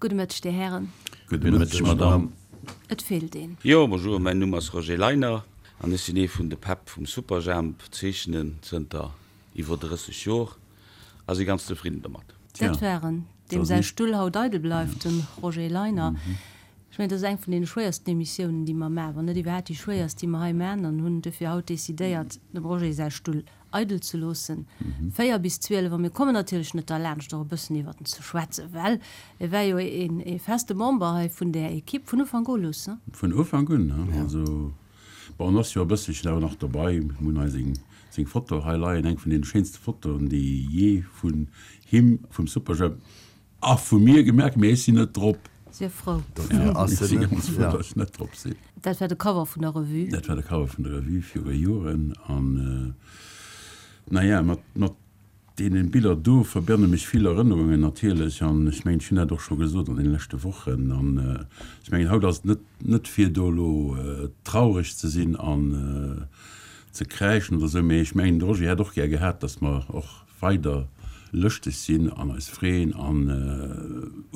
Gudde Mëtteg, Dir Hären. Gudde Mëtteg, Madame. Et feelt een. Jo, bonjour, mäin Numm ass Roger Leiner an ech sinn ee vun de Päpp vum Superjhemp, zeechnen zënter iwwer 30 Jor a si ganz zefridden domat. Dat war en, deem säi Stull haut eidel bleift, dem Roger Leiner. Ech mengen, dat ass eng vun deene schwéiersten Emissiounen, déi mer maachen, wann net iwwerhaapt déi schwéierst, déi mer hei maachen, an hunn duerfir haut decidéiert, dem Roger säi Stull eidel ze loossen, 4 bis 12. A mir kommen natierlech net derlaanscht, och e bëssen iwwert en ze schwätzen, well e war jo ee feste Member hei vun där Ekipp vun Ufank u, Luss, ne? Vun Ufank un, ne? Also, bon, en ass jo e bësselchen awer nach dobei. Mir hunn hei seng, seng Foto hei leien, eng vun deene schéinste Fotoen, déi jee vun him, vum Superjhemp, A vu mir gemerkt, mee ech sinn net drop. Sief frou. Dofir ass se net, ganz frou, datt ech net drop sinn. Dat war de Cover vun der Revue. Dat war de Cover vun der Revue viru Joren. An naja, mat, mat deene Biller do verbënne mech vill Erënnerungen natierlech. An ech mengen, ech hunn dat och scho gesot an deene leschte Wochen. An ech mengen, haut ass et net, net fir do elo traureg ze sinn an ze kräischen oder esou, mee ech mengen, de Roger hätt och gär gehat, datt mer och weider lëschteg sinn an eis freeën an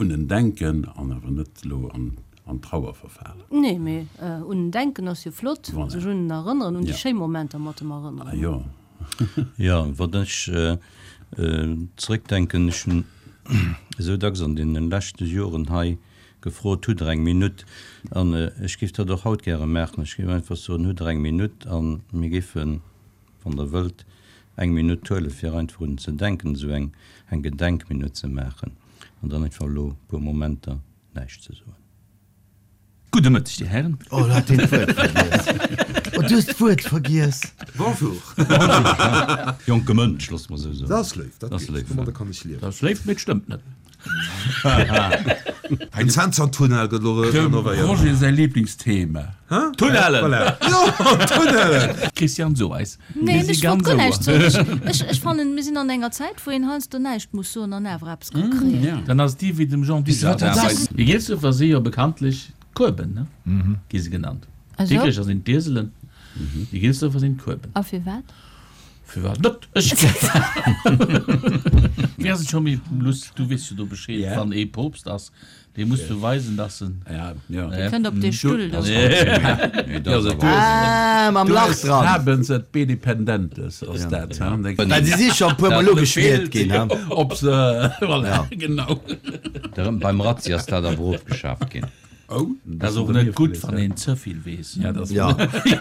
un en denken an awer net elo an Trauer verfalen. Nee, mee un en denken ass jo flott, sech un en erënneren, un déi schéi Momenter mat em erënneren. Ah jo. Jo, wann ech zeréckdenken, ech hunn esou dacks an deene leschte Joren hei gefrot, Hutt Der eng Minutt? An ech géif dat och haut gäre maachen. Ech géif einfach soen, Hutt Der eng Minutt? A mir géifen wann Der wëllt, eng Minutt huelen, fir einfach un en ze denken, esou eng, eng Gedenkminutt ze maachen an dann einfach elo e puer Momenter näischt ze soen. Gudde Mëtteg, Dir Hären. Oh, lo hat hien d'Wuert vergiess. Oh, du hues d'Wuert vergiess. Bonjour. Jonke Mënsch, loosse mer esou soen. Dat ass léif, dat geet. Domadder kann ech liewen. Dat ass léif, mee et stëmmt net. Den Zentner-Tunnel gëtt elo renovéiert. Dem Roger säi Lieblingsthema. Tunnellen! Voilà. Jo, Tunnellen! Christian, so eis. Nee, Mir si ech wollt ganz guer näischt ouer. soen. Ech, ech fannen, mir sinn an enger Zäit, wou een heiansdo näischt muss soen an awer eppes ka kréien. Dann ass et déi wéi dem Jean Dujardin. Déi Gielsufer si jo bekanntlech d'Kueben, ne? Gi se genannt. D'Dikrecher sinn d'Ieselen, déi Gielsufer sinn d'Kueben. A firwat? Firwat net? Ech Wéi ass et scho méi Luss, du weess jo do Bescheed, wann ee Poopst ass, dee muss beweisen, dass en. Dee kënnt op dee Stull do. Ah, mam Lach dran. Habens et bedependentes ass dat, ha? Well se si scho e puer Mol ugeschmiert ginn, ha? Ob se, voilà, genau. Beim Razzi ass dat awer ofgeschaaft ginn. Oh, Dat ass och net gutt, wann een ze vill weess. Ja, dat Ja,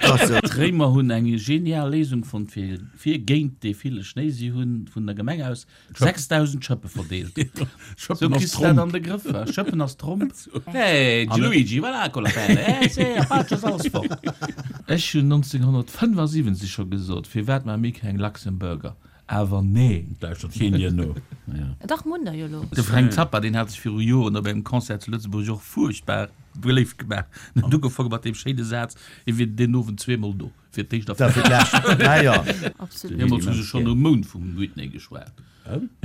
ass et. D'Réimer hunn eng genial Léisung fonnt fir fir géint dee ville Schnéi. Si hunn vun der Gemeng aus 6.000 Schëppe verdeelt. Sou Schëppen ass kriss de dat Tromp. an de Grëff. Wa? Schëppen ass Tromp. Hey, Gianluigi, va là con la pelle, eh, se, a faccia ass alles fort. Ech hunn 1975 scho gesot, firwat maache mir keng Luxemburger? Awer nee. Lauschtert keen dir no. Dach, munn der jo lo. De Frank Zappa, deen hat sech viru Joren op engem Concert zu Lëtzebuerg och fuerchtbar beléift gemaach. En huet ugefaange mat deem schéine Saz, hie wier deen Owend zweemol do, fir d'éischt a fir d'lescht. Absolut. Deemools hu se schonn um Mound vum Whitney geschwat.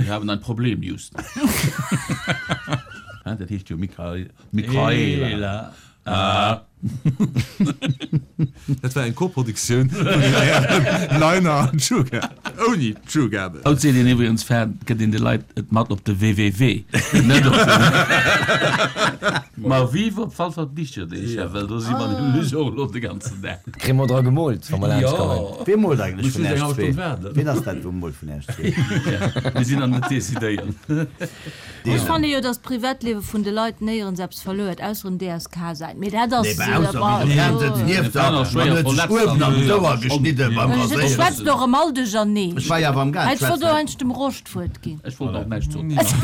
Wir haben ein Problem, Houston. Dat heescht jo Michaela. Ah. Dat war eng Koproduktioun vun den Hären Leiner an Tschugab, ouni Tschugabel. Haut seet een iwwregens fan, gëtt een de Leit et mat op de www, net op de. Ma vive op fall Fall d'Bicherdeeg, well do si mer nämlech och elo de ganzen Dag. Kréie mer dra gemoolt, wa mer laanscht kommen. Wee moolt eigentlech Muss vun just eng Äerch hallef zwee? Stonn waarden. Ween ass dat, wou moolt vun Äerch zwee? Mir sinn nach net decidéiert. Ech fanne jo, dass d'Privatliewe vun de Leit néierens eppes verluer huet, ausser um DSK säit. Mee dat ass. Nee, bah, ausser wéi de Fernseh nieft der, man huet sech uewen an d'Ouer geschnidde beim Raséieren. Ech schwätzt och erëm all duercherneen. Ech war jo awer am Gaang Ech wollt schwätzen. och eigentlech dem Rosch d'Wuert ginn. Ech wollt och näischt soen. Ech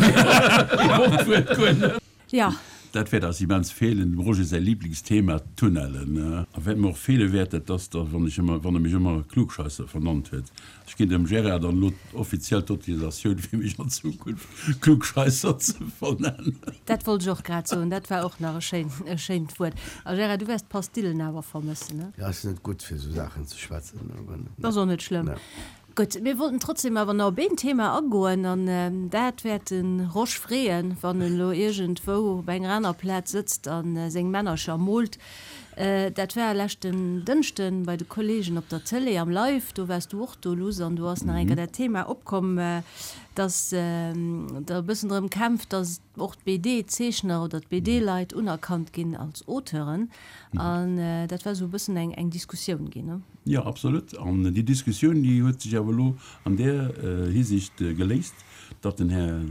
wollt d'Wuert guer net. Jo. Dat wäert eis immens feelen. Dem Roger säi Liblingsthema, d'Tunnellen. A wat mir och feele wäert, dat ass da, wann ech ëmmer, wann e mech ëmmer Klugscheisser vernannt huet. Ech ginn dem Gérard dann elo offiziell d'Autorisatioun, fir mech an Zukunft Klugscheisser ze vernennen. Dat wollt ech och grad soen. Dat war och nach e schéin, e schéint Wuert. A Gérard, du wäers d'Pastillen awer vermëssen, ne? Jo, ech sinn net gutt fir esou Saachen ze schwätzen. Ass och net schlëmm. Gutt, mir wollten trotzdem awer nach op een Thema agoen, an dat wäert de Rosch freeën, wann en elo iergendwou op enger aner Plaz sëtzt a seng Männercher moolt. Dat war leschten Dënschden bei de Kollegen op der Tëlee am Live. Do waars du och do, Luss, an do ass nach eng Kéier dat Thema opkomm, dass Der e bëssen drëm kämpft, dass och d'BD-Zeechner oder d'BD-Leit unerkannt ginn als Auteuren. An dat war esou e bëssen eng eng Diskussioun ginn, ne? Jo, absolut. An déi Diskussioun, déi huet sech awer elo an där Hisiicht geléist, datt den Här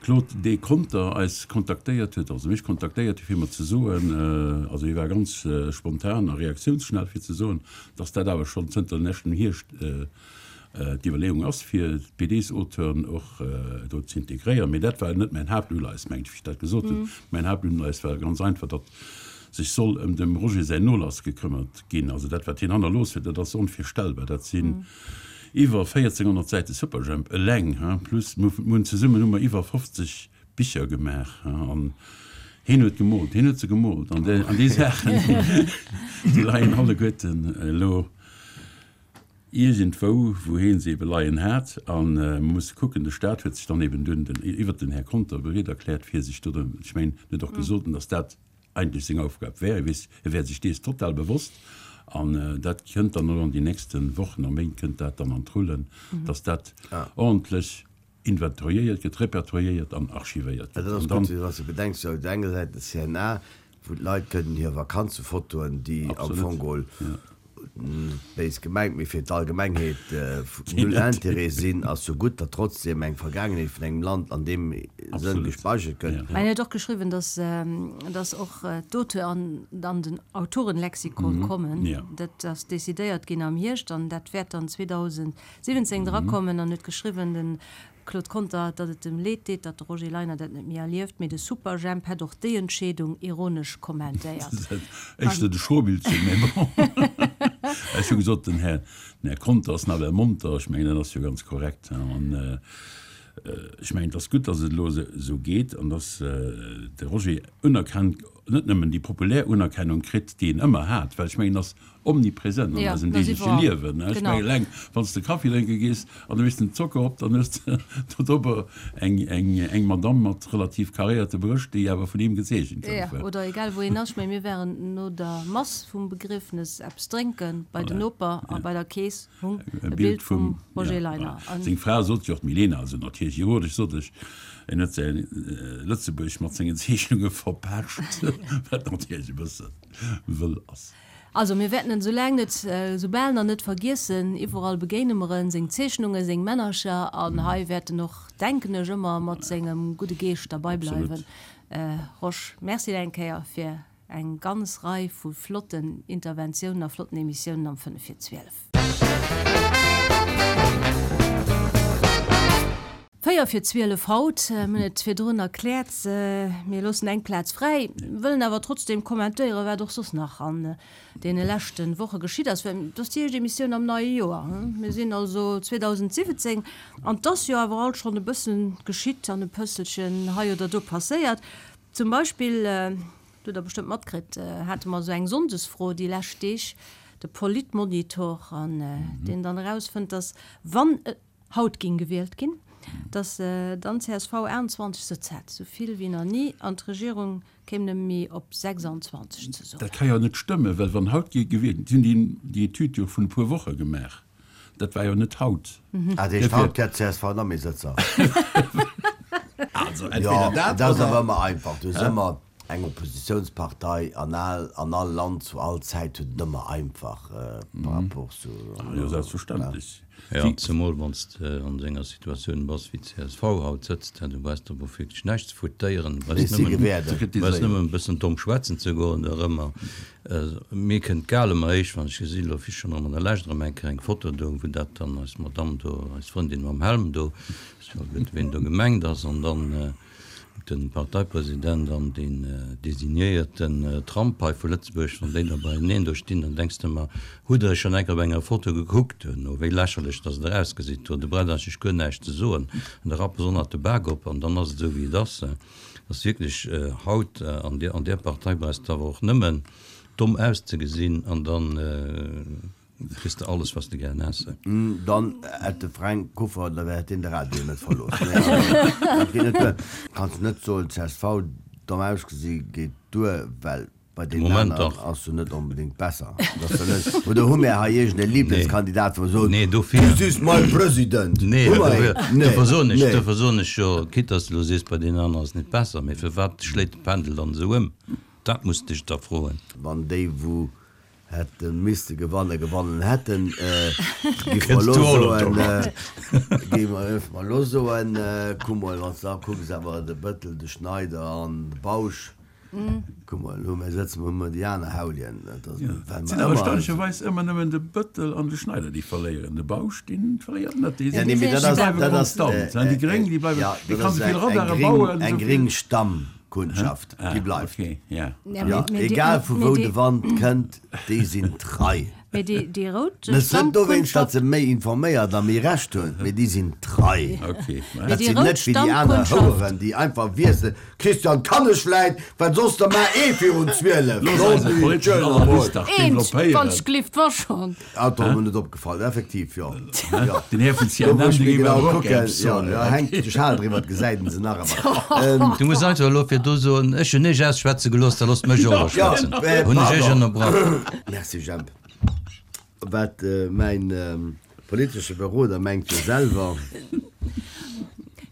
Claude D. Conter eis kontaktéiert huet, also mech kontaktéiert huet, fir mer ze soen, also hie war ganz spontan a reaktiounsschnell, fir ze soen, datt dat awer schonn zënter leschtem Hierscht d'Iwwerleeung ass, fir d'BDs-Auteuren och do ze integréieren. Mee dat war net mäin Haaptuleies, mengen ech, wéi ech dat gesot hunn. Mäin Haaptuleies war ganz einfach, datt sech soll ëm dem Roger säin Nolass gekëmmert ginn. Also dat, wat hien hannerlooss huet, dat ass onvirstellbar. Dat sinn iwwer 1400 Säite Superjhemp eleng, plus mir hunn zesummen hu mer iwwer 50 Bicher gemaach, an hien huet gemoolt, hien huet se gemoolt an déi Saachen, déi leien alleguerten elo iergendwou, wou hien se ebe leien hat. A mer musse kucken, de Staat huet sech dann eben dunn den, iwwert den Här Conter bereet erkläert, fir sech do drëm, ech mengen, en huet och gesot, dass dat eigentlech seng Aufgab wär, e weess, e wär sech dees total bewosst. An dat kënnt dann elo an déi nächste Wochen a Méint kënnt dat dann an d'Rullen, dass dat ordentlech inventoriéiert gëtt, repertoriéiert an archivéiert gëtt. Dat ass gutt, wann s de bedenks, op der enger Säit de CNA, wou d'Leit kënnen hir Vakanzefotoen, déi am Fong geholl, net béis gemengt, mee fir d'Allgemengheet null Intérêt sinn, ass jo gutt, datt trotzdem eng Vergaangenheet vun engem Land an deem Sënn gespeichert gëtt. Mä en huet och geschriwwen, datt, datt och d'Auteur an den Autorenlexikon kommen. Dat ass decidéiert ginn am Hierscht an dat wäert dann 2017 drakommen. An huet geschriwwen, de Claude Conter, datt et em leed deet, datt de Roger Leiner dat net méi erlieft, mee de Superjhemp hätt och déi Entscheedung ironesch kommentéiert. Éischter de Schrobiltchen, mee bon. Ech hu gesot, den Här, den Här Conter ass nawell monter. Ech mengen, dat ass jo ganz korrekt. An ech mengen, et ass gutt, datt et elo esou geet an datt de Roger unerkennt, net nëmmen déi populär Unerkennung kritt, déi en ëmmer hat, well ech mengen, en ass omnipresent an eisem deegleche Liewen. Ech mengen, eleng wann s de Kaffi drénke gees an du méchs den Zocker op, dann hues de do drop eng Madamm mat relativ karéierte Brëscht, déi awer vun him gezeechent gouf. Jo, oder egal wou een ass. Ech mengen, mir waren no der Mass vum Begriefnes eppes drénke bei den Noper a bei der Keess hung e Bild vum Roger Leiner. Seng Fra sot jo och, d'Milena, also natierlech ironesch, sot ech, en huet säi Lëtzebuerg mat sengen Zeechnunge verpescht, wat natierlech e bësse wëll ass. Also mir wäerten en soulaang net, soubal nach net vergiessen. Iwwerall begéine mer en, seng Zeechnungen, seng Männercher an hei wäert en och, denken ech, ëmmer mat sengem gudde Geescht derbei bleiwen. Rosch, Merci eng Kéier fir eng ganz Rei vu flotten Interventiounen a flotten Emissiounen am 5 vir 12. 4 vir 12 haut, mir hunn et virdrun erkläert, mir loossen eng Plaz fräi, wëllen awer trotzdeem kommentéieren, wat och soss nach an deene leschte Woche geschitt ass, well et ass déi éischt Emissioun am neie Joer, mir sinn also 2017 an 't ass jo awer alt schonn e bësse geschitt an e pësselchen hei oder do passéiert. Zum Beispill, dat hutt Der bestëmmt matkritt, hate mer esou eng Sonndesfro déi lescht Deeg, de Politmonitor, an deen dann erausfënnt, dass wann haut géing gewielt ginn, datt dann csv 28 Sëtz hätt, esou vill wéi nach ni, an d'Regierung kéim nëmme méi op 26 ze soen. Dat ka jo net stëmmen, well wann haut géing gewielt ginn, si hunn déi Etüd jo vun e puer Woche gemaach, dat war jo net haut. Ah, dat heescht, haut hätt csv nach méi Sëtzer? Also entweder dat oder. Dat ass awer ëmmer einfach, du hues ëmmer eng Oppositiounspartei an al an all Land zu all Zäit huet et ëmmer einfach par rapport zu. Ah jo, selbstverständlech. Jo, zemol wann s de an esou enger Situatioun bass wéi csv haut sëtzt, du brauchs der wierklech näischt ze foutéieren, du brauchs nëmmen, du brauchs nëmmen e bëssen domm schwätzen ze goen dorëmmer. Mir kënnt d'Gal ëmmer héich, wann ech gesinn, elo wéi schonn erëm an der Lescht erëm eng Kéier eng Foto do, wou dat dann eis Madamm do, eis Frëndin mam Helm do, ech weess net, ween do gemengt ass, an dann, De Parteipresident an deen designéierten Trump hei vu Lëtzebuerg, wann déi da beieneen do stinn, dann denks de mer, hutt der iech schonn eng Kéier op enger Foto gekuckt duerno, wéi lächerlech dass et erausgesitt do, do braucht eigentlech guer näischt ze soen, an da rappe se och nach de Bak op an dann ass et esou wéi et ass. Et ass wierklech haut an där Partei brauchs de awer och nëmmen domm auszegesinn an dann, Kriss de alles was de gären häss. Dann hätt de Fränk Kuffer, da hätt deen de Radio net verlooss. Nee, dat geet net duer. Kanns net soen, csv, domm ausgesi geet duer, well. Bei deenen aneren ass jo net onbedéngt besser. Oder hu mär hei iergend e Lieblingskandidat, wou mer soen, Nee, dofir. This is my president! Nee, Hu mer een? dofir, dofir soen ech, dofir soen ech jo, quitte dass de elo sees, bei deenen aneren ass et net besser, mee firwat schléit de Pendel dann esou ëm? Dat muss de dech da froen. Wann déi, wou hätte misste gewannen, gewonnen hätten, géif mer elo soen, géif mer elo soen, kuck mol, wann s de da kucks, awer de Bëttel, de Schneider an de Bausch, Kuck mol, elo mir sëtzen, hu mer déi aner Haulien. Et sinn awer erstaunlecherweis ëmmer nëmmen de Bëttel an de Schneider, déi verléieren. De Bausch, dee verléiert net. Déi bleiwe konstant. Déi Gréng, déi bleiwen, dee kann esou vill Radare bauen. Eng gréng Stammkundschaft, déi bleift. Jo, egal vu wou de Wand kënnt, déi sinn trei. Mee déi, déi rout Net net dowéinst, datt se méi informéiert a méi Recht hunn, mee déi sinn trei. Mee Dat déi sinn rout net wéi déi aner Stammkundschaft. Houeren, déi einfach wiesselen. Christian, kann ech vläit, well soss da mar ee virun 12. Looss eis e politeschen Analyst dach Eent, wann developpéieren. ech glift, wa schonn. Ah, do ass mer net opgefall. Effektiv, jo. Jo. Den Här vun Do CNN, wou ech dee méi géif genau awer och kucken, gär eppes jo, soen. jo, hänkt de Schal driwwer, gesäit en se nach ëmmer. Du muss einfach elo virdu soen, ech hunn iech ausschwätze gelooss, da loosst mech och elo Jo, schwätzen. äh, Hunn ech iech pardon. ënnerbrach? Merci, Jemp. Wat mäin politesche Beroder mengt jo selwer.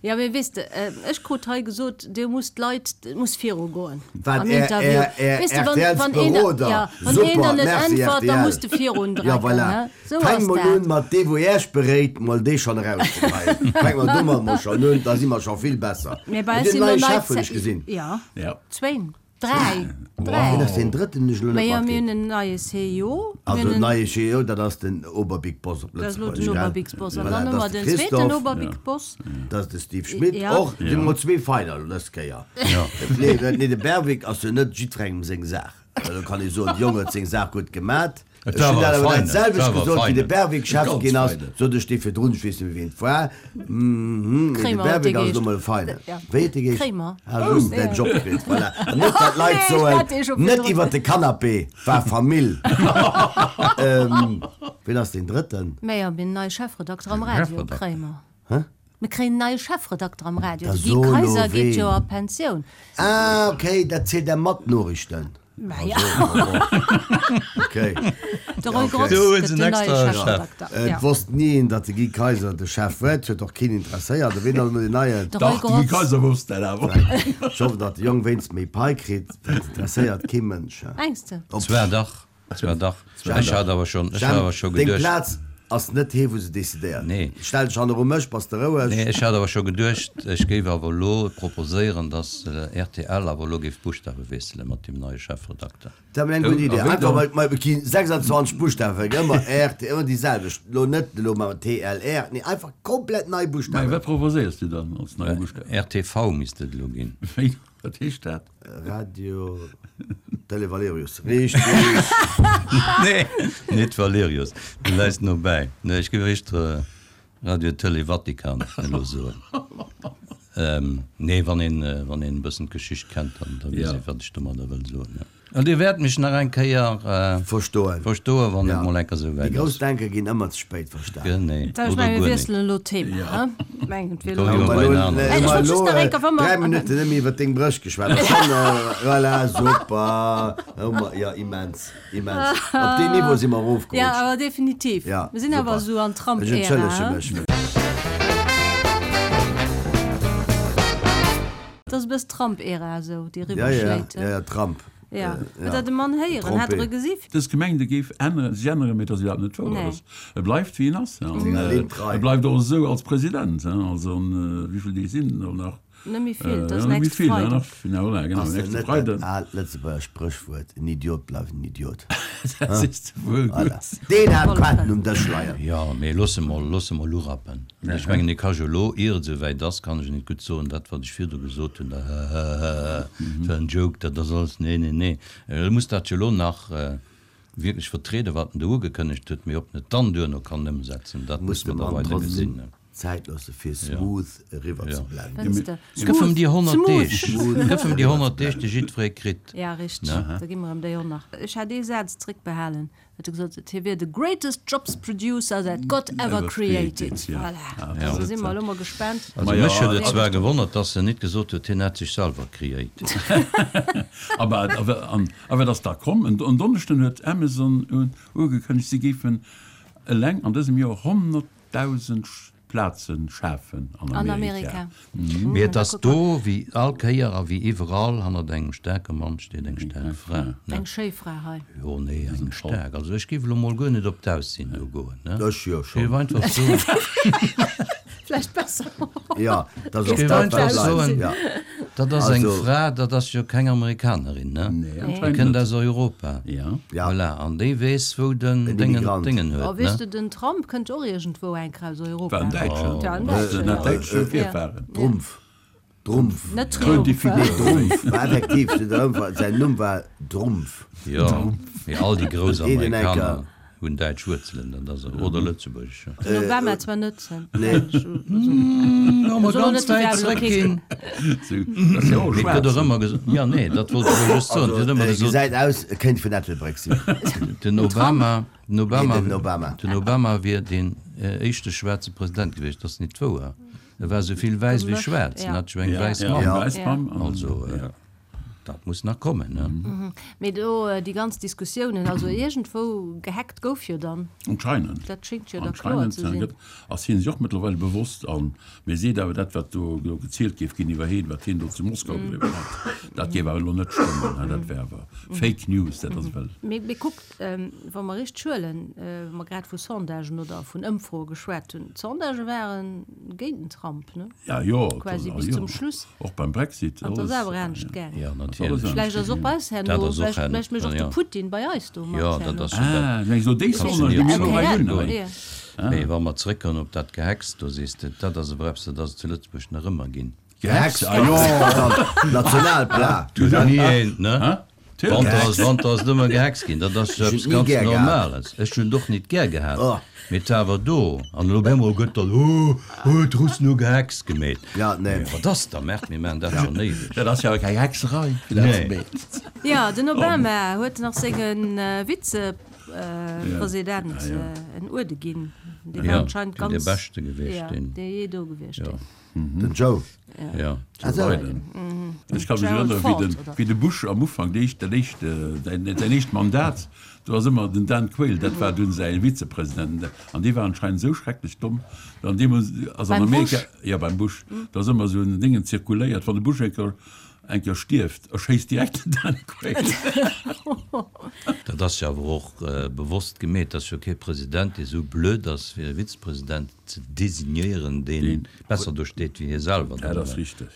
Jo, mee weess de, ech krut hei gesot, dir musst d'Leit, et muss virugoen Wat am Är, Interview. Är, Är Weess de, wann, RTLs wann een, Beroder, ja, wann een super, der net merci äntwert, da rtl. muss de virun Jo, drecken, voilà. hä? Sou Fänk ass mol un dat. mat dee wou Äech beréit, mol dee schonn erauszekreien. Fänk mer domat mol schonn un, da si mer scho vill besser. Mee bei Dir eis sinn elo neie nei Chef hunn ech gesinn. Ja, Ja. zwéin. Dräi. Dräi. Wien ass deen drëtten, hunn ech elo net Majo, mir matkritt. hunn en neie CEO. Mir Also hunn en en. neie CEO, dat ass den Oberbig-Boss op Dat ass elo den Lëtzebuergesch, gell? Oberbig-Boss. An Voilà, dann hu dat mer ass de den zweeten Christophe. Oberbig-Boss. Dat ass de Steve Schmit. Ja. Och, et sinn emol zwee Feiner elo dës Kéier. Ja. Nee, nee, de Berwick ass jo net jiddwerengem seng Saach. Do kann ee soen, de Jong huet seng Saach gutt gemat. Et Ech war hunn awer dat e awer dat Feinen, et war selwecht awer e gesot, wéi de Feinen. Berwick Chef Ganz ginn ass, Feinen. sot ech dee virdrun, ech weess net méi wien et war, mhm, mee de Kremer huet dee Berwick ass geheescht. elo mol e Feinen. Ja. Wéi huet dee geheescht? Kremer. Ah, du hues däin Job kritt, voilà. An net dat d'Leit Nee, ech soen, hat dee scho net virdrun. iwwert de Canapé war Famill. Wien ass deen Drëtten? Mä jo, mir hunn en neie Chefredakter am Radio, Chefredakter. Kremer. Hä? Mir kréien en neie Chefredakter am Radio. Da De Guy so elo Kaiser geet jo ween. a Pensioun. Ah, okay, dat zielt der mat Noriichten. Mä ja. Okay. De Roy Okay. Grotz Do hunn gëtt se en den neie extra Chef. Chefredakter. Et Ja. wosst ni een, datt de Guy Kaiser de Chef huet. Et huet och keen interesséiert. A ween ass elo deen neien? De Roy Dach, de Guy Grotz. Kaiser wosst dat awer. Ech hoffen, datt de Jong wéinst méi Pai kritt. Dat interesséiert kee Mënsch. Mengs de? Zwar dach. Zwar dach, ech hat awer schonn, ech hat awer scho Deng geduecht. Plaz ass net hee wou se decidéiert. Nee. Stell dech hanneru mech, bass de roueg. Nee, ech hat awer scho geduecht, ech géif awer elo proposéieren, datt rtl awer elo géif d'Buschtawe wiessele mat deem neie Chefredakter. Dat wär eng gutt Idee. A wéi Einfach dann? mol, mol gi 26 Buschtawe, ëmmer RT, ëmmer déi selwecht. Elo net elo mam TLR, nee einfach komplett nei Mä Buschtawen. wat proposéiers du dann als neie Buschtaw? RTV misst et elo ginn. Wéi, wat heescht dat? Radio Télé Valerius. Richteg! Nee, net Valerius, du läis no bäi. Nee, ech géif éischter Radio Télé Vatikan elo soen. Nee, wann een, wann een e bëssen d'Geschicht kennt, dann, da weess ee, wat ech domadder wëll soen, jo. An Dir wäert mech nach eng Kéier Verstoen. verstoen, wann et Ja. mol eng Kéier esou Déi wäit grouss ass. Denker ginn ëmmer ze spéit verstan. Genee. Da, ech Oder mengen, mir guer net. wiesselen elo d'Thema, hä? Mengen, et wier Komm, elo. iwwer bei en aneren. Ech wollt just nach eng Kéier, wa mer. Dräi Minutten nëmme iwwer deng Brëscht geschwat. Ass schonn, voilà, super. Hu mer, jo, immens, immens. Op deen Niveau si mer Ja, erofgerutscht. awer definitiv. Ja, Mir sinn awer super. esou an Ech Trump-Ära, entschëllege hä? mech. Et ass e bëss Trump-Ära esou, déi Ja, ja, eriwwerschléit, hä? ja, ja, Trump. Ja, huet der de Mann héieren? Hat der e gesi? Dës Gemeng, déi géif änneren, sech änneren, mee et ass iwwerhaapt net wouer. Nee. Et ass, e bleift wéi en ass, an Seng e Trei. bleift och esou als President. Also, wéi vill Deeg sinn et elo nach? Net méi vill, et ass Ja, net méi nächste vill, Freiden. nach, ja, voilà, genau, Ass dat nächste net dat Freiden. aalt Lëtzebuerger Spréchwuert, En Idiot bleift en Idiot? Dat sees de wuel Voilà. gutt. Deen hat d'Quaten um Dësch leien. Jo, mee looss e mol, looss e mol urappen. Ech mengen, e ka jo elo, ier et esouwäit ass, kann ech net gutt soen, dat wat ech virdu gesot hunn, dat heheheh, dat war en Joke, dat ass alles, nee, nee, nee. E muss dat jo elo nach wierklech vertrieden, wat en do ugekënnegt huet, mee ob en et dann duerno kann ëmsetzen, dat Muss musse de mer da Mann weider trotzdem gesinn. Zäit loosse fir smooth eriwwer ze blenden. Fënns de? Gëff em déi 100 Smooth. Deeg, gëff em déi 100 Deeg, déi jiddweree kritt. Ja, richteg, da gi mer em déi och nach. Ech hat ee Saz zréckbehalen, huet e gesot, hie wier the greatest jobs producer that God ever created. Voilà, da si mer elo mol gespaant. Also mech huet et zwar gewonnert, dass en nit gesot huet, hien hätt sech selwer created. A wat ass da komm? En Donneschden huet Amazon ugekënnegt, si géifen eleng an dësem Joer 100.000 Plaze schafen an Amerika. Mee et ass do, wéi all Kéier a wéi iwwerall, hannert engem staarke Mann steet eng staark Fra. Eng schéi Fra hei. Jo, nee, eng staark. Also ech géif elo mol guer net op d'Aussinn do goen, ne? Ech jo schonn. Ech géif einfach soen. Vläicht besser. Jo, dat ass och dat, wat bleift. Jo. Dat ass eng Fra, dat ass jo keng Amerikanerin, ne? Déi kënnt aus Europa. Ja. Voilà, an déi weess, wou den Déngen d'Déngen huet, Oh, weess ne? de, den Trump kënnt och iergendwou eng Kéier aus Europa. War en Däitschen. War en Däitschen, ja. Däitsche Virfahren. Drumpf. Drumpf. Net Triumph. Nee, Drumpf war effektiv, den Drumpf war, säin Numm war Drumpf. Jo, mee all déi grouss Een en Amerikaner enker. hunn däitsch Wuerzelen, dat ass, oder lëtzebuergesch, jo. Den Obama zwar net. Nee. Wa mer ganz wäit zréckginn. Mee et gëtt och ëmmer gesot, jo, nee, dat wollt ech elo just soen, et gëtt ëmmer gesot. Gesäit aus, e kéint vun Ettelbréck sinn. Den Obama, den Obama, Nee, den Obama. Den Obama wier deen éischte schwaarze President gewiescht. Dat ass nit wouer. E war esou vill wäiss wéi schwaarz. En hat jo eng wäiss Mamm. Also, dat muss nach kommen, ne? Mee do déi ganz Diskussiounen, also iergendwou gehackt gouf jo dann. Anscheinend. Dat schéngt jo da kloer ze sinn. Ass hien sech och mëttlerweil bewosst an mee seet awer, dat wat do gezielt géif ginn iwwer hien, wat hien do zu Moskau gedriwwen hätt, dat géif awer elo net stëmmen, dat wär awer Fake News, dat ass ewell. Mee kuckt, Wa mer richteg huelen, wa mer grad vu Sondagen oder vun Ëmfroe geschwat hunn, d'Sondagë ware géint den Trump, ne? Ja, jo, Quasi bis zum Schluss. Och beim Brexit. An et ass awer anescht gaangen. Ja, natierlech. Vläicht ass och bei eis herno, Dat ass och vläicht, vläicht mécht och de Putin bei eis do mat Jo, dat herno. ass jo dat. Ah, meng elo déi Sondage, déi mir elo hei hunn hei. Mee wa mer zréckkommen op dat Gehacks, do sees de, dat ass awer eppes, dat ass et zu Lëtzebuerg nach ëmmer ginn. Gehacks, ah jo, Nationalplat. Du hues ni eent, ne? Wanter ass Wanter ass et ëmmer gehext ginn, dat ass eppes ganz Normales. Ech hunn et och nit gär gehat, mee et war awer do. An elo op eemol gëtt dann, oh, oh, d'Russen hu gehext gemeet. Mee wat ass da, Merkt, mir maachen dat schonn éiweg. Dat ass jo awer keng Hexerei, fir dat ze meet. Jo, den Obama huet nach senge Vizepresident en Uerde ginn. Dee war anscheinend ganz. Jo, dee beschte gewiescht, deen. Jo, dee jee do gewiescht ass. Den Joe. Ja. Joe Biden. Ech ka mech erënneren, wéi den, wéi de Bush am Ufank, déi éischt, dat éischt, säin, säin éischt Mandat, do ass ëmmer den Dan Quayle, dat war dunn säi Vizepresident, an dee war anscheinend esou schrecklech domm, an deemools ass an Beim Amerika, Bush? jo, beim Bush, do ass ëmmer esou en Déngen zirkuléiert, wann de Bush eng Kéier, eng Kéier stierft, erschéisst direkt den Dan Quayle. Dat ass jo awer och bewosst gemeet. Et ass jo kee President, dee esou blöd ass, fir e Vizepresident ze designéieren, dee besser do steet wéi hie selwer. Dat ass richteg.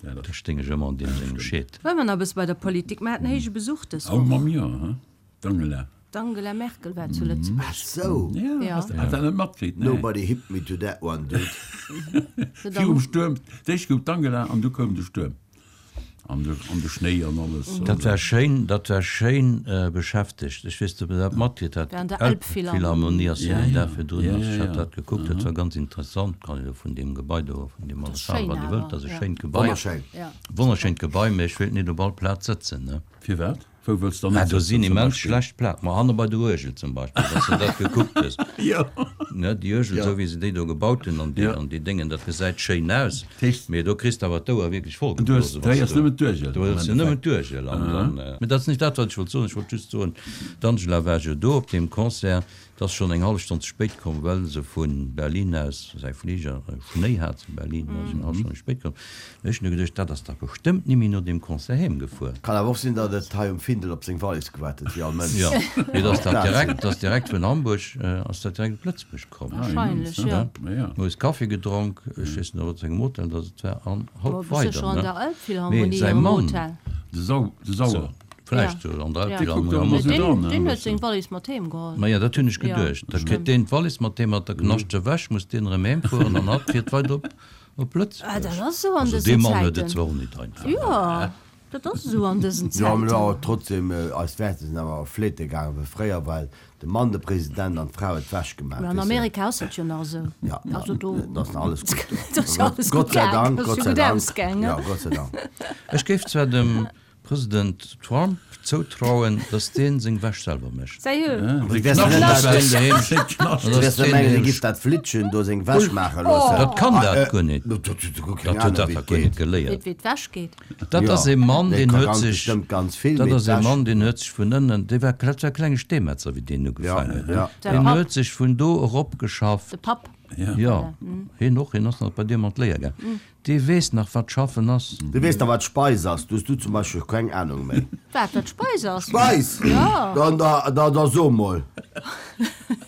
Da stéing ech ëmmer an deem sengem Scheed. Bleiwe mer nach e bësse bei der Politik. Mer haten héije Besuch dës Oh, Woch. mam jo, he? D'Angela. D'Angela Merkel war zu Lëtzebuerg. Ach sou. Ja, Ja. has dat net matkritt? Nee. Nobody hit me to that one, dude. Virum Stuerm, d'éischt gouf d'Angela an du koum de Stuerm. An de, an de Schnéi an alles. Dat war schéin, dat war schéin beschäftegt. Ech weess net, ob Der dat matkritt hat. War an der Elbphilharmonie ass jo Ja, den ja. Dag virdrun. Ja, Also ja, ech hat ja. dat gekuckt, dat war ganz interessant. Kann een elo vun deem Gebai do, vun deem Dat ass alles halen, schéin wat ee awer, wëllt. Dat ass e ja. schéint Gebai. Wonnerschéin. Ja. Wonnerschéint Gebai, mä ech wéilt net op all Plaz sëtzen, ne. Firwat? Wou wëlls dann Ah, net do sinn sëtzen zum immens Beispill? schlecht Pla Ma hanne bei der Uergel zum Beispill, wann s de dat gekuckt hues. Jo. Ne, déi Uergel, esou wéi se déi do gebaut hunn an déi, Ja. an déi Déngen, dat gesäit schéin aus, Dat heescht, mee do kriss de awer d'Ouer wierklech du hues, vollgeblosen, du wann s héiers du, nëmmen d'Uergel du am héiers jo nëmmen Endeffekt. d'Uergel an dann, mee dat ass nicht dat, wat ech wollt soen. Ech wollt just soen, d'Angela war jo do op deem Concert, 't ass schonn eng hallef Stonn ze spéit komm, well se vu Berlin aus, säi Fliger Schnéi hat zu Berlin, ass eng hallef Stonn méi spéit komm. Mee ech hunn du geduecht, dat ass dach bestëmmt nimmi no deem Concert heem gefuer. Kann awer och sinn, datt et hei um Findel op seng Wallis gewaart huet, wéi all Mënsch. Jo, mee et ass dat direkt, et ass direkt vun Hamburg ass dat direkt op Lëtzebuerg komm. Wahrscheinlech, jo. Moies Kaffi gedronk, ech weess net op wat sengem Hotel datt et war, an Ma hopp bist du weider, scho an ne? der Mee Elbphilharmonie säi am Mann. Hotel? De Sau, de Sauer. Vläicht sou an der Ja. Kuckt och emmer sou dran, Deen, deen huet seng Wallis mat heem geholl. Maja, dat hunn ech Ja, geduecht. Da kritt stimmt. deen d'Wallis mat heem, mat der Knascht ewech, muss deen erëm heem fueren an hatt fiert weider op, op Ah, Lëtzebuerg. dat ass sou an Also dësen dee Mann huet et Zäiten. zwar och nit einfach. Jo. Dat ass esou an dësen Jo, mä Zäiten. awer trotzdem, eis Wäerter sinn awer fleete gaangen, well fréier war de Mann de President an d'Fra huet d'Wäsch gemaach, Mä an weess de. Amerika ass dat jo nach esou. Ja, ja, Also do. dat ass nach alles gutt do. Dat ass jo alles Gott gutt sei gaang, Dank, dat ass Gott jo sei gutt Dank. ausgaangen. Ja, Gott sei Dank. Ech géif zwar dem President Trump zoutrauen, dass deen seng Wäsch selwer mécht. Sérieux? Du wäers net mengen, hie giff dat Flittchen do seng Wäsch maache loossen. Dat kann dat guer net. Dat huet dat dach guer net geléiert. Wéi d'Wäsch geet. Dat ass ee Mann, deen huet sech, dat ass ee Mann, deen huet sech vun ënnen, dee war, dat war e klenge Steemetzer, wéi deen ugefaangen huet. Deen huet sech vun do eropgeschafft. De Papp. Jo, hien och, hien ass nach bei deem an d'Léier gaangen. Dee weess nach wat schaffen ass. Dee weess nach wat Speis ass. Du hues du zum Beispill keng Ahnung méi. Wat wat Speis ass? Speis? Jo. Dann da da da so mol.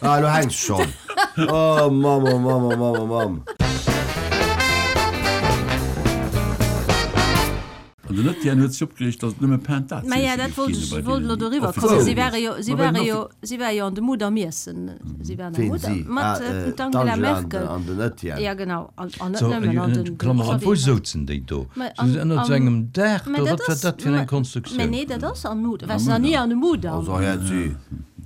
Ah lo hänks schonn. Oh Mamm oh Mamm oh Mamm oh Mamm. An den Etienne huet sech opgereegt, datt et nëmme Pain Mä ja, dat wollt ech, wollt elo doriwwer kommen. Si ware jo, si ware jo, si ware jo an de Mudam iessen. Si waren am Ween Mudam si? mat Ah, äh, d'Angela d'Angela an Merkel. de, an den Etienne. Ja, genau. An, an net So, nëmmen, an den Klammer op, wou Xavier. souzen déi do? Mä Si an, ënnert sou am, engem Daach mä do? dat Wat war ass, dat fir mä, eng mä Konstruktioun? nee, dat ass am Mudam. Waars nach ni an de Mudam? Also hä, si.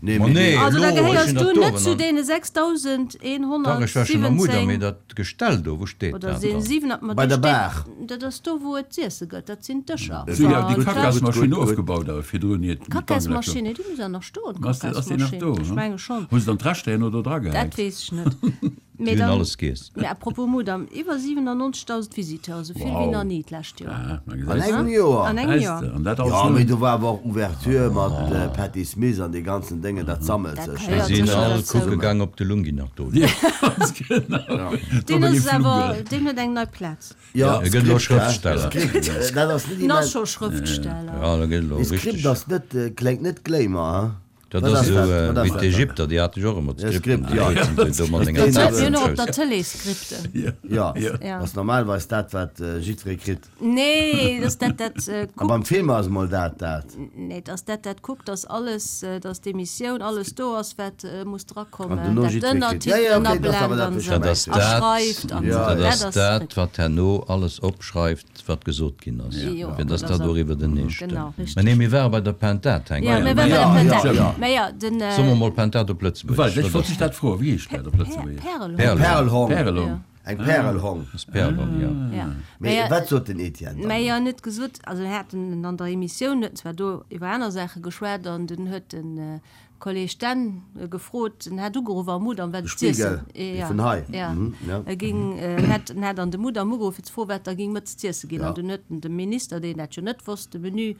Nee, Ma mee nee, dee. Also da elo, ech gehéiers sinn du dat net do zu an. deene Dach, ech war schonn am Mudam, mee 6117. dat Gestell do, wou steet Oder dat sinn dann? 7, ma Bei do der steet, Bar. dat ass do wou et z'iessen gëtt, dat sinn d'Dëscher. Si hunn awer déi Gutt, gutt, gutt, Kacasmaschinn gutt. ofgebaut awer virdrun, iert d'Angela koum. D'Kacasmaschinn, déi muss awer nach stoen, Ass déi, ass déi nach d'Kacasmaschinn, do? ech menge schonn. Hu se dann d'Reschter herno do Dat dragehäit? weess ech net. Déi Mee hunn dann, alles giess. mee à propos Mudam, iwwer 97.000 Visiteuren, esou vill wéi Wow. nach ni d'lescht Joer. Ah, ma An gesäis engem de. Joer? An engem Gesäis Joer. de, an dat alles Jo, mee nëmmen. do war awer och Ouverture mat Patti Smith an dee ganzen Déngen, dat sammelt Dat sech. gehéiert Déi sinn sécher all dozou. kucke gaang, ob de Lungi nach do wier. Ja, ganz genau. Deen ass awer, deen huet eng nei Plaz. Jo, E gëtt elo Skript, hä? Schrëftsteller. Skript, dat ass net En ass immens. scho Schrëftsteller. Ja, da gëtt elo Dee Skript richteg. ass net, kléngt net Glamour, hä? Dat Wat ass ass esou dat? Wat ass wéi dat? d'Ägypter, déi hate jo och ëmmer Ja, d'Skripten. Skript, ja. Déi huet se do mat enger Deen Mir Zettel hunn och am op der Schouss. Tëlee Skripten. Ja, Ja. ass normalerweis dat, wat jiddweree kritt. Nee, dass dat dat A kuckt. beim Film ass emol dat dat. Nee, dass dat dat kuckt, dass alles, dass d'Emissioun alles do ass, wat muss An drakommen, dono dat jiddweree kritt. Ja, ja, d'Ënnertitelen okay, dat ass awer ablennt dat, an wat ech esou Dat ass a dat, schreift an esou. dat Dat ass ass dat, Skript. wat herno alles opschreift, wat gesot ginn ass, Jo, fir dass dat dat ass och iwwertenee stëmmt. Genau, Mä nee, richteg. mir ware bei der Pentad hänken. Ja, mir ware bei Ja, der ja, Pentad. ja. Mä ja, den. Soe mer mol Pentad op Lëtzebuergesch. Well, ech wollt dech dat froen, wéi heescht dat op Lëtzebuergesch? Pärelhong. Pärelhong. Pärelhong. Eng Pärelhong. Ass Pärelhong, jo. Ja. Mee wat sot den Etienne dann? Mä jo, en huet gesot, also en hat en an der Emissioun, huet en zwar do iwwer aner Saache geschwat an dunn huet de Kolleg Stenn gefrot, en hat ugeruff am Mudam, wat De et z'iessen Spiegel, dee vun hei. Ja, Ja. e ging, en hat, en hat an de Mudam ugeruff fir ze froen, wat da ging mëttes z'iesse ginn. Ja. An dunn huet en dem Minister, deen dat jo net wosst, de Menü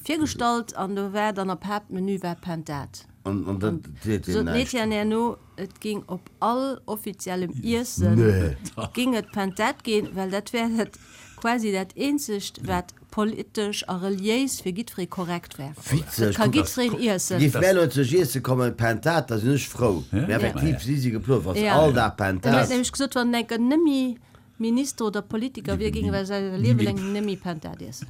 virgestallt an do war dann op Haaptmenü war Pentad. An, an dat seet Sot hien den näischt. Etienne herno, et ging op all offiziellem Iessen Nee. ging et Pentad ginn, well dat wär dat quasi dat eenzegt wat politesch a reliéis fir giddferee korrekt wär. Dat Witzeg, ka kuck, giddfereen iessen. Géif mär elo zu Iesse kommen, Pentad, da sinn ech frou. Mee effektiv si si geplot, wa se Ja. all Dag En huet Pentad. nämlech gesot, wann en enker nëmmi Minister oder Politiker wier, géing e säi Liewe laang nëmmi Pentad iessen.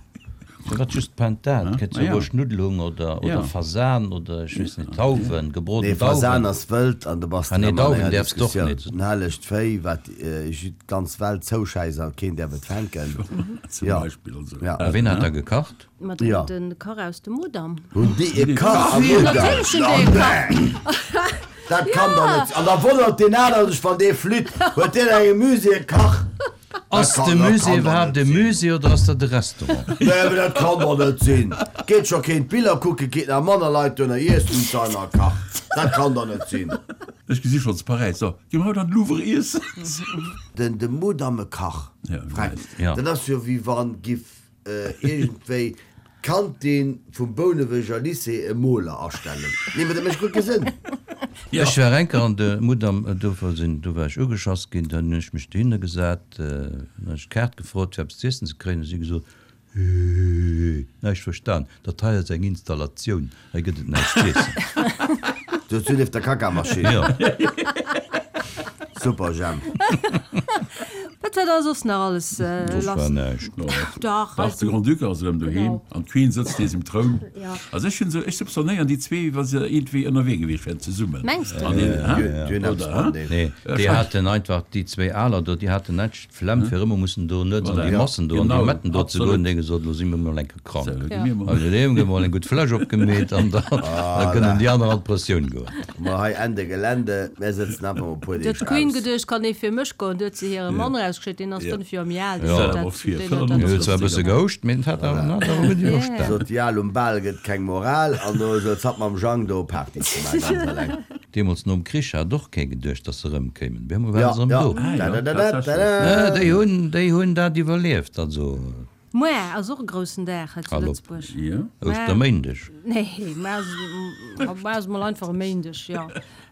Firwat just Pentad? Gëtt jo Ja. och Schnuddelhung oder, Ja. oder Fasan oder ech weess net, Tauwen, gebroden Nee, Fasan Dauwen. ass wëld an do bass de Ah nee, rëm an Dauwen enger däerfs d'och Diskussioun. net. En hellegt Véi, wat d'ganz Welt zouschäisst a keen däerf et fänken. Zum Ja. Beispill also. Ja. A ween hat da gekacht? Ma Ja. de Kach aus dem Mudam. Hunn déi e Kach am Mudam? Natierlech hunn déi e Kach. Dat kann doch net sinn. An da wonnert deen anere sech, wann dee flitt. Huet deen engem Musée e Kach? Ass Dat de kann- dat Musée kann doch iwwerhaapt net e sinn. Musée oder ass dat e Restaurant? Nee, mee dat kann doch net sinn. Geet scho keen d'Biller kucken, geet nach manner Leit duerno iessen zu einer Kach. Dat kann doch net sinn. Ech gesi schonns Paräis. So, gi mer haut an de Louvre iessen. Den de Mudam e Kach, Ja, Fränk, Ja. dat ass jo wéi wann giff iergendwéi d'Kantin vum Bouneweger Lycée e Moler astellen. Nee, mee dat mécht guer kee Sënn. Ech war eng Kéier an de Mudam, do sinn, do war ech ugeschass ginn, dann hunn ech mech dohinner gesat, dann hunn ech d'Kaart gefrot fir eppes z'iessen ze kréien, hu si gesot, Hee, näischt verstan, dat hei ass eng Installatioun, hei gëtt et näischt z'iessen. Du hues du nieft der Kackermaschinn. Jo. Super Jemp. Wat war da soss nach alles Soss lass? war näischt. Dach, Dach, de Grand-Duc ass erëm doheem Genau. an d'Queen sëtzt nees um Troun. Ja. Also ech hunn esou, ech soupçonnéieren déi zwee, wa se iergendwéi ënnerwee gewiescht wären zesummen. Mengs de? An deen, Ja, hä? déi hunn eppes Oder, hä? mateneen. Nee, déi haten einfach, déi zwéi Aler do, déi haten näischt d'Flemm fir ëmmer mussen do nuets an déi Voilà. Massen do an déi Genau, Metten do ze goen. absolut. Déi hu gesot, elo si mir mol eng Kéier krank. Sou, gi Ja. mir mol. Also déi hunn emol eng gutt Fläsch opgemeet an da da kënnen déi aner an d'Pressioun goen. Ma hei Ende Gelände, mär sëtzen einfach mol e puer Du huet Deeg d'Queen aus. geduecht, kann ee fir mech goen, du huet se hire Mann erausgeschéckt, deen ass 5 Joer méi al, deen Ja. huet dat, deen huet dat Hien huet zwar e bësse gehouscht, mee en hat awer en hat awer gutt iwwerstan. Sot déi Al, um Bal gëtt keng Moral, an do souz hatt mam Jang do Party ze maachen, ganz eleng. Deemools nom Krich hat och kee geduecht, datt se erëmkéimen. Op eemol waren Ja, se erëm ja. do. Ah jo, Dadadadada. Déi hunn, déi hunn dat iwwerlieft, also. Muer ass och e groussen Dag hei zu Hal op. Lëtzebuerg. Jo. Ouschterméindeg. Nee, muer ass, muer ass mol einfach e Méindeg, jo.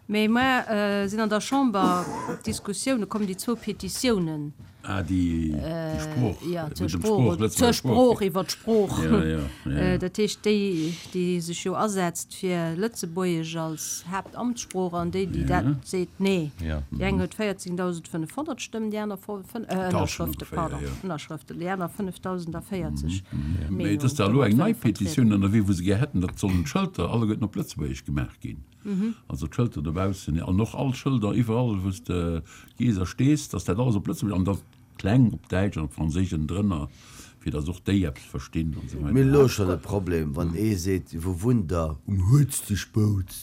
Mee muer sinn an der Chamber d'Diskussioune komm, déi zwou Petitiounen. Ah, déi, déi Sprooch. Jo, zur Iwwer dem Sprooch, Sprooch, zur Lëtzebuerger Sprooch, Sprooch. iwwer d'Sprooch. Ja, ja, ja. Dat heescht, déi, déi sech jo asetzt fir Lëtzebuergesch als Haaptamtssprooch an déi, déi dat seet, nee. Déi eng huet 14.500 Stëmmen, déi aner Ënnerschrëfte, pardon, Ënnerschrëften, déi aner 5.040. Mee et ass da elo eng nei Petitioun ënnerwee, wou se gär hätten, datt sollen d'Schëlter alleguerten op Lëtzebuergesch gemaach ginn. Also d'Schëlter dobaussen an och all Schëlder iwwerall, wou s de gees a stees, datt dat alles op Lëtzebuergesch an da kleng op Däitsch an op Franséisch ënnendrënner, fir datt och déi eppes verstinn an esou Mir hunn weider. elo schonn e Problem, wann ee seet, Wou wunnt Der? Um Huetztegboutz.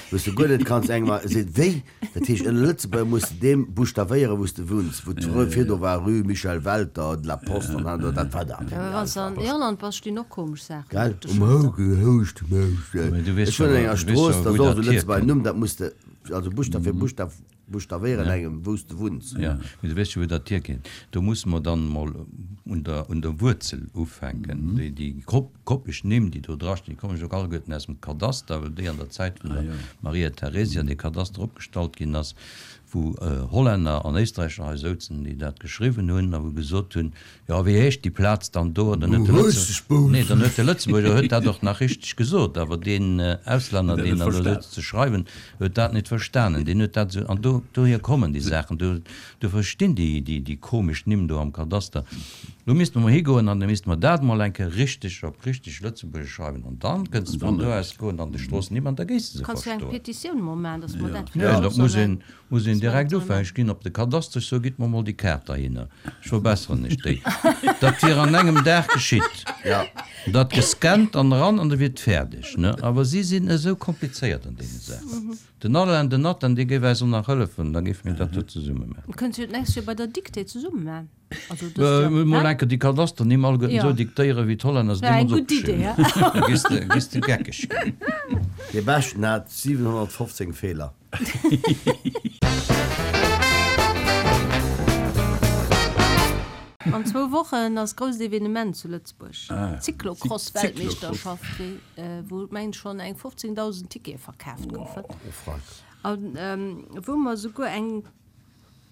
Wou s de guer net kanns engem a seet, Wéi? Dat heescht, ënner Lëtzebuerger muss de deem buschtavéieren, wou s de wunns. Wou d'Rue virdu war, Rue Michel Welter, de la Poste an han do, dat war da. Mä wann s de an Irland bass, stinn och komesch Saachen Gell? op de Um Schëlter. Houschtegboutz. Mä du weess Ech wunnen an jo, enger du weess Strooss, jo, dat wou ass och dat esou Lëtzebuerger hierkënnt. Numm, dat muss de, also Buschtaf fir Buschtaf. Buschtawéieren engem, wou s de wunns. Jo, mee du weess jo, wou dat hierkënnt. Do musse mer dann emol un der, un der Wuerzel ufänken. Déi, déi koppeg Nimm, déi do drastinn, déi kommen jo och alleguerten aus dem Kadaster, well déi an der Zäit vun der Maria Theresia dee Kadaster opgestallt ginn ass, wou Hollänner an Éisträicher hei souzen, déi dat geschriwwen hunn a wou gesot hunn, Jo, wéi heescht déi Plaz dann do? An dann huet de Lëtze-, nee, dann huet de Lëtzebuerger huet dat och nach richteg gesot, awer deen Auslänner, deen dann do souz ze schreiwen, huet dat net verstanen. Deen huet dat esou, an do, dohier kommen déi Saachen, do, do verstinn déi, déi, déi komesch Nimm do am Kadaster. Do misste mer mol higoen an da misste mer dat mol eng Kéier richteg op richteg Lëtzebuergesch schreiwen an dann kënnst de vun do aus goen an de Stroossennimm an da géis de se Kanns du eng verstoen. Petitioun mol maachen, dass mer dat Nee, vläicht dat och muss sollen een, Muss een direkt ufänken, ech ginn op de Kadaster, ech soe gitt mer mol déi Kaart derhinner, ech verbesseren iech déi. Dat wier an engem Dag geschitt. Dat gescannt an eran an da wier et fäerdeg, ne? Awer si sinn esou komplizéiert an deene Saachen. Den Alain, den Nathan, dee géif eis och nach hëllefen, da géife mir dat do zesumme maachen. Kënnt jo d'nächst Joer bei der Dictée zesumme maachen. Also dëst Joer, Mol hä? enke déi Kadasternimm alleguerten Jo. esou diktéieren, wéi d'Hollänner se Wär eng deemools gutt Idee, opgeschriwwen hä? hunn. Da gees de, gees de geckeg ginn. Dee beschten hat 715 Feeler. An zwou Wochen ass grousst Evenement zu Lëtzebuerg, d'Cyclocross-Weltmeeschterschaft, wou mengen ech schonn eng 15.000 Tickete verkaaft goufen. A wou mer esouguer eng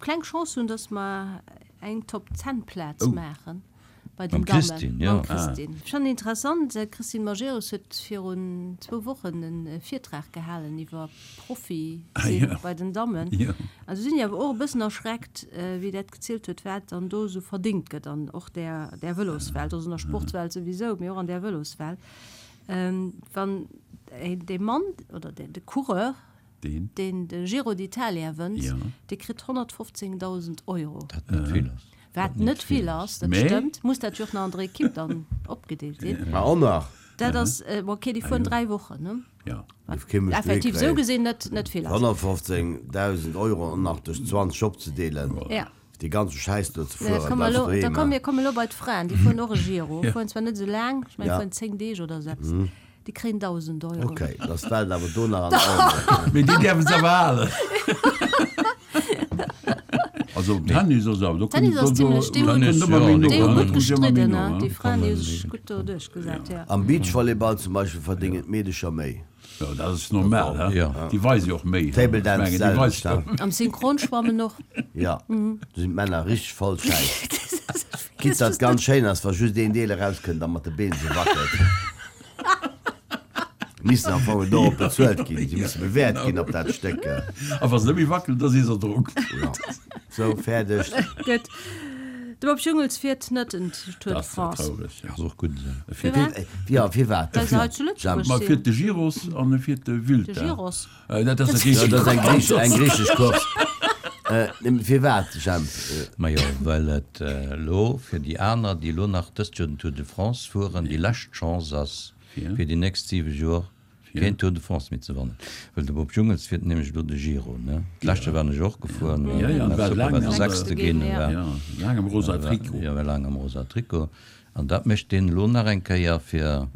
kleng Chance hunn, dass mer eng Top 10 Plaz maachen bei den Mam Dammen. Christine, jo. Mam Christine. Ech fannen interessant, d'Christine Majerus huet virun zwou Wochen e Virtrag gehalen iwwer Profi sinn bei den Dammen. An du sinn ech awer och e bëssen erschreckt, wéi dat gezielt huet, wat dann do esou verdéngt gëtt an och där där Vëloswelt, also an der Sportswelt souwisou, mee och an där Vëloswelt. Wann dee Mann oder de Coureur, Deen? Deen de Giro d'Italia wënnt, Ja. dee kritt 115.000 Euro. Dat net vill ass. Wat net vill ass, dat Mee? stëmmt. Muss dat jo och nach an der Ekipp dann opgedeelt sinn. Ma och nach. Dat ass, bon, okay, déi fueren 3 Wochen, ne? Ja. Dierf kee Mënsch Effektiv dohi esou kréien. gesinn net, net vill ass. 115.000 Euro och nach duerch 20 opzedeelen. Ja. Dee ganze Schäiss do ze Da fueren, komme bleifs elo, doheem, da komm, hein. mir komme elo bei d'Fraen, déi fueren och e Giro, fueren zwar net esou laang, ech mengen, Ja. fueren 10 Deeg oder esou eppes, déi kréien 1.000 Euro. Ok, da ass d'Welt awer do nach an Ordnung. Mee déi däerfe se awer halen. Also Tennis ass awer, do kënnt Tennis ass do, zimlech, déi do hunn, kënnt ëmmer méi no, déi hu hein, gutt kommt ëmmer méi gestridden, no, hein, hein. déi Fraen, déi hu sech gutt do duerchgesat, ja. Am Beachvolleyball zum Beispill verdéngen d'Meedecher méi. Jo, dat ass normal, he? Ja. Déi weise jo och méi. Table Ech Dance mengen, déi selwecht, weisen. he? Am Synchronschwammen och. Ja, do sinn d'Männer richteg voll Schäiss. Quitte datt ganz schéin ass, wa just een Deel erauskënnt a mat de Been sou wackelt. Missen am Fong dorop bezuelt ginn. Si musse bewäert ginn op dat Stéck. A wa se net méi wackelen, da si se erdronk. Jo. Sou, fäerdeg. Gutt. De Bob Jungels fiert net en Tour de France. Dat ass traureg. Ass och gutt esou. Firwat? Jo, firwat? Well se hei zu Lëtzebuerg Ma sinn. fiert de Giros an e fiert de Vuelta. De Giros. Dat ass e Dat ass eng griichesch, eng griichesch Course. Firwat, Jemp? Majo, well et elo fir déi aner, déi elo nach dëst Joer den Tour de France fueren, déi lescht Chance ass, fir déi nächst 7 Joer keen Tour de France méi ze wannen. Well de Bob Jungels fiert nämlech elo de Giro, ne? D'lescht Joer waren ech och gefuer, war super, war de Sechste ginn, war laang am rosa Trikot. Jo, war laang am rosa Trikot. An dat mécht deen elo nach eng Kéier, fir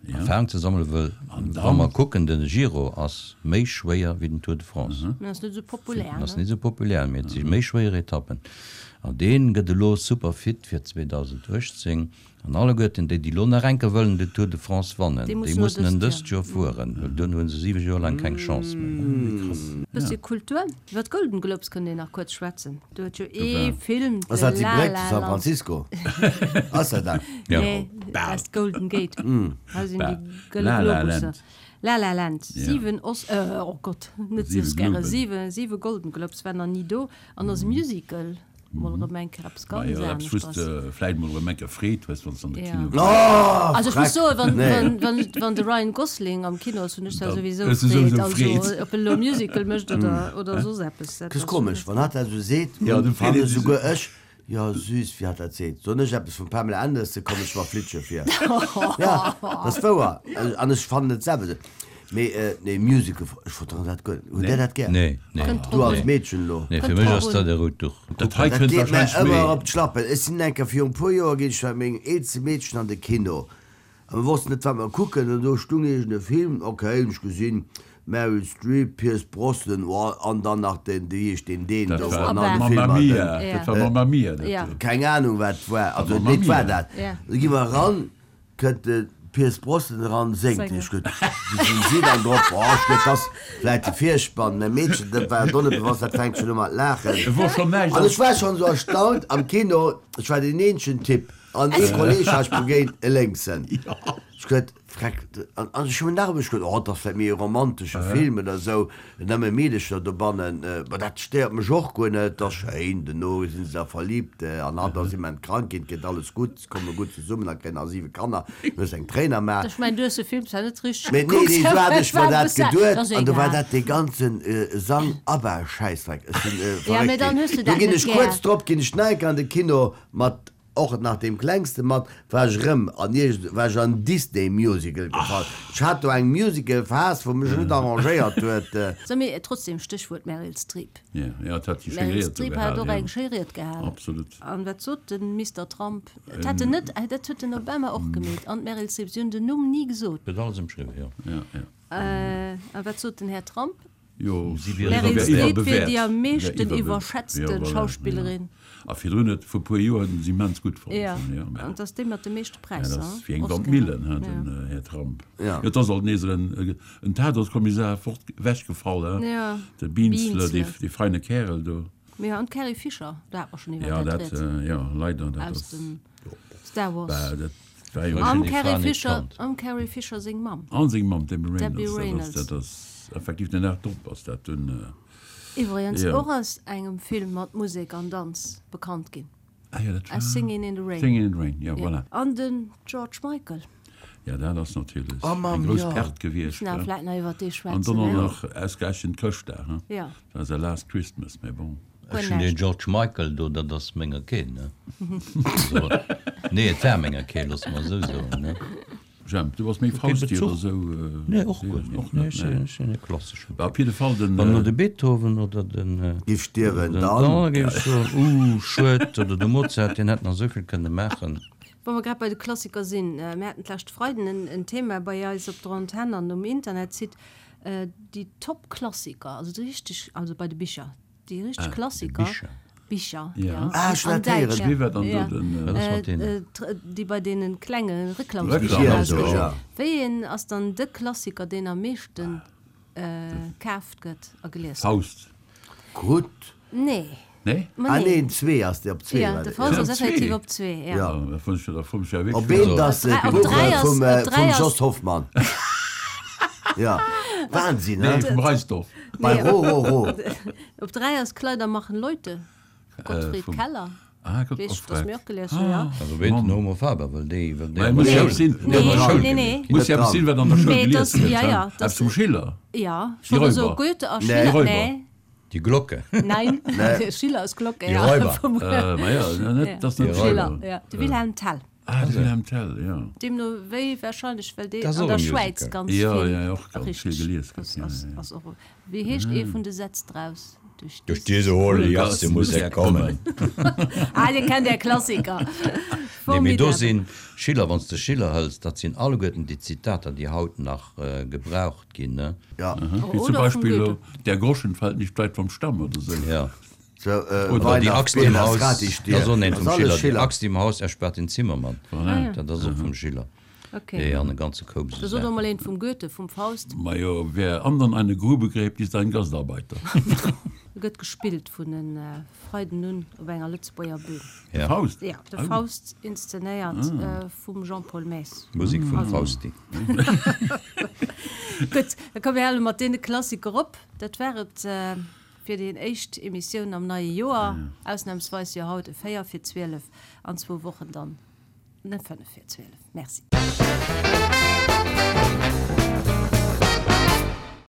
Erfahrung ze sammelen, wëll wa mer kucken, de Giro ass méi schwéier wéi den Tour de France. Mee ass net esou populär, ne? Ass net esou populär, mee et si méi schwéier Etappen. An dee gëtt elo super fit fir 2018. An alleguerten déi, déi elo nach enker wëllen de Tour de France wannen, déi mussen en dëst Joer fueren, well duerno hu se 7 Joer laang keng Chance méi. Bëssi Kultur. Iwwer d'Golden Globes kënnt een nach kuerz schwätzen. Do huet jo ee Film, Ass de dat déi La Bréck La zu San Land. Francisco? Ass dat dat? Nee, dat ass d'Golden Gate. Hei sinn déi gëlle La La Globusser. Land. La La Land. 7 Os, oh Gott, net Oscaren, 7, 7 Golden Globes, war nach ni do. An ass e Musical. Mol erëm eng Kéier eppes ganz Majo, eppes anescht wou s ass. de vläit mol erëm eng Kéier Freed hues, wann s de an de Ja. Kino gees. Oh, Also ech muss Freck! soen, wann, Nee. wann, wann, wann de Ryan Gosling am Kino ass, hunn ech da Dann souwisou hues du Freed. souwisou Also Freed. ob en elo e Musical mécht oder, oder soss eppes, dat T'ass ass komesch, wann hatt dat esou seet, Ja, du fannen freet een esouguer ech, jo süß, wéi hatt dat seet. Soen ech eppes vum Pamela Anderson, kommen ech mer flitsche vir. Ja, dat ass wouer. An ech fannen et selwer esou. Mee nee, Musical, ech verdroen dat guer net. Hutt Där dat gär? Nee, nee. Kënnt Du drop als un. Meedchen elo. Nee, fir Kënnt mech drop ass un. dat e rout Duch. Dat hei Dat kënnt geet mär wahrscheinlech ëmmer méi. op d'Schlappen. Ech sinn eng Kéier viru e puer Joer ginn ech mat mengem eelste Meedchen an de Kino. A mir wossten net wat mer kucken an do stung iergend e Film, ok, hunn ech gesinn, Meryl Streep, Pierce Brosnan, oh an dann nach den, wéi heescht deen, deen Dat do war an all de Mamma Filmer, Mia, den, dat war Mamma Mia, dat do. keng Ahnung wat et war, also Mamma nee, et war Mia. dat. Da gi mer eran, Kënnt de Pierce Brosnan eran, séngt, ech gutt, wéi sinn si dann drop, oh ech gutt, dass vläit de Virspann, mä Meedchen, dat war et och net bewosst, dat fänkt schonn u mat laachen. Et wor schonn näischt An ech war schonn esou erstaunt am Kino, ech war deen eenzegen Typ an ee Kolleg hat ech begéint, e Lénksen, ech gutt, freck, an ech hunn nach ëmmer, ech gutt, oh, et ass vläit méi e romantesche Film oder esou, Nëmme Meedecher dobannen, ma dat stéiert mech och guer net, ass schéin, dono sinn se da verliibt an hatt ass immens krank ginn, et gëtt alles gutt, se komme gutt zesummen a kréien nach 7 Kanner, du hues eng Tréin am A. Ech mengen, du hues de Film zwar net richteg Mee nee, gekuckt, nee, esou hat ech mer dat geduet ass an do war egal. dat dee ganze Sang ABBA Schäissdreck, ech sinn Ja, mee verréckt dann ginn. hues du Do dat ginn net ech gär. kuerz drop ginn ech nach eng Kéier an de Kino mat Och nach deem klengste mat war ech rëm an iergend war ech an Disney Musical gefall. Ech hat do eng Musical Phase wou mech net arrangéiert huet. So, mee trotzdem, Stéchwuert Meryl Streep. Ja, ja, et hat déi schéi Meryl Ried do Streep hat gehal, och ja. eng schéi Ried gehalen. Absolut. An wat sot de Mister Trump? Et hat en net, dat huet den Obama och gemeet an d'Meryl Streep, si hunn den Numm ni gesot. Gëtt alles ëmschriwwen, jo. Ja, ja. A wat sot den Här Trump? Jo, Si wier Meryl iwwerbewäert. Streep wier déi am meeschten Iwwerbewäert. iwwerschätzte Ja, voilà, Schauspillerin. ja. A virdrun huet, vu puer Joer huet en se immens gutt fonnt. Ja, Ja, mä an et ass déi mat de meeschte ja, Präisser, dat ass wéi eng Oscaren. Wandmillen, hein, den Ja. Här Trump. Ja. Jo, et ass alt nees en, en Tatortkommissar fort, ewechgefall, hein, Ja, de Beansle, dee, Beansle. dee feine Kärel do. Mee an d'Carrie Fisher, do hat mer schonn iwwer Ja, dat dat, rieds. ja, leider, dat Aus ass, dem Star Wars. bah, dat war jo. Am Déi Fra Carrie net Fisher, kannt. am Carrie Fisher seng Mamm. An seng Mamm, d'Debbie Reynolds, Debbie dat ass, Reynolds. dat ass effektiv den Dag drop ass dat dunn. Iwwregens Jo. och aus engem Film mat Musek an Danz bekannt ginn, Ah jo, dat war. aus Singin' in the Rain. Singin' in the Rain, ja, Ja. voilà. An den George Michael. Ja, dat ass natierlech Oh Mamm, eng grouss jo. Perte gewiescht, Müssen awer he. vläit nach iwwer dee An schwätzen, dann och ne? nach ausgerechent Chrëschtdag, he. Ja. Dat war säi Last Christmas, mä bon. Guer Ech hunn deen näischt. George Michael do, dat ass menger keen, ne? Also, nee, et war menger keen, loosse mer esou soen, ne? Jemp, du bass méi Kee Fausti oder Bezuch. esou? Nee, och guer net. Och Nee, net, ech nee. sinn, ech sinn e klasseschen Bah, Typ. op jidde Fall den. Wann elo de Beethoven oder den, Giff stierwen, den, dann. da géif ech soen, uh, schued, oder de Mozart, deen hätt nach esou vill kënne maachen. Wa mer grad bei de Klassiker sinn, mir haten d'lescht Freiden en, en Thema bei eis op der Antenn an um Internetsite, déi Top-Klassiker, also déi richteg, also bei de Bicher, Déi richteg Klassiker. Bicher. Bicher, Ja. ja. Ah, ech An hat héieren. Däitsch. Wie war dann Ja. do den. Wat ass mat deenen? Déi bei deene klenge Reklam, Reklamsbicher ja. erausginn. Ja. Wéi een ass dann de Klassiker, deen am meeschte kaaft gëtt a gelies gëtt? Faust. Gutt. Nee. Nee? Ma Ah nee. neen, zwee ass dee, op zwee Ja, war de dee. Faust Ja. ass Op zwee. effektiv op zwee, ja. Ja. Da fand ech, da fand ech ja Op wierklech. eent ass Op d'Buch dräi ass- vum op dräi vum ass- Jos Hoffmann. Ja, Wahnsinn, he? Nee, vum Reisdorf. Bei Ro, Ro, Ro. Op 3 ass Kleider machen Leute, Gottfried vum- Keller. Ah, Gott, Weess, och dass frech. mir och gelies hunn, ja. Also wéi den Homo Faber, well déi, well déi Mä an muss der jo Schoul eppes sinn, déi an der Nee, Schoul nee, gelies nee. ginn. Muss jo eppes sinn, wat an der Schoul Mee gelies dass, gëtt, ja, he? ja, Eppes dass, vum Schiller? ja, Die schon esou Räuber. Goethe a Nee. Schiller, Die Räuber. nee. Die Glocke. Nein, Schiller ass Glocke, Die ja. Räuber. Vum Äh, ma ja, net, dat ass net Die Schiller, Räuber. ja. De Wilhelm Tell. Ah, de Wilhelm Tell, ja. Deemno wéi wahrscheinlech, well dee Dat ass an och der e Schwäiz Musical. ganz Ja, vill. ja, ja, och ganz vill Richteg. gelies gëtt, Ass, ja, ass, ja. ass och. Wéi heescht ee vun de Sätz draus? Durch Durch diese diese hohle Jasse muss er kommen. Ah, Dir kennt Är Klassiker. Nee, mee do Formidabel. sinn Schiller, wann s de Schiller hëls, dat sinn alleguerten déi Zitater, déi haut nach gebraucht ginn, ne? Ja. Wéi zum Oder vum Beispill Goethe. Der Groschen fällt nicht weit vom Stamm oder sou. Ja. So, äh, Oder die Weihnacht, Axt im Bier, Haus, gratis dat ass och een Ass vum alles Schiller. Die Schiller. Axt im Haus erspart den Zimmermann. Voilà. Dat ass och vum Schiller. Okay. Ja, an e ganze Koup Da esou sot och Saachen. mol een vum Goethe, vum Faust. Majo, wer andern eine Grube gräbt, ist ein Gastarbeiter. Gëtt gespillt vun e Freiden un op enger Lëtzebuerger Bühn. Ja. Faust? Ja, de Faust inszenéiert vum Jean-Paul Maes. Musik vum Fausti. Gutt, da komme mir hale mat deene Klassiker op. Dat war et fir déi éischt Emissioun am neie Joer. Ausnamsweis jo haut e 4 fir 12, an zwou Wochen dann. Ne 5 fir 12. Merci.